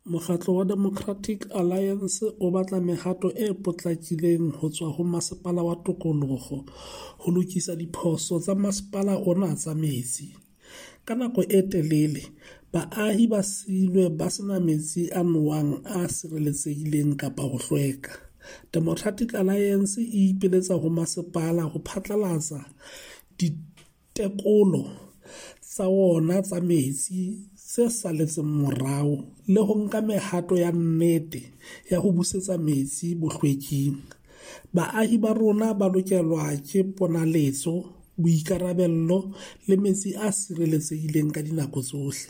Mokgatlo wa Democratic Alliance o batla mehato e potlakileng ho tswa ho Masepala wa Tokoloho ho lokisa diphoso tsa masepala ona tsa metsi. Ka nako e telele, baahi ba silwe ba sena metsi a nowang a sireletsehileng kapa ho hlweka. Democratic Alliance e ipiletsa ho masepala ho phatlalatsa ditekolo tsa ona tsa metsi tse saletseng morao le ho nka mehato ya nnete ya ho busetsa metsi bohlweking. Baahi ba rona ba lokelwa ke ponaletso, boikarabello le metsi a sireletsehileng ka dinako tsohle.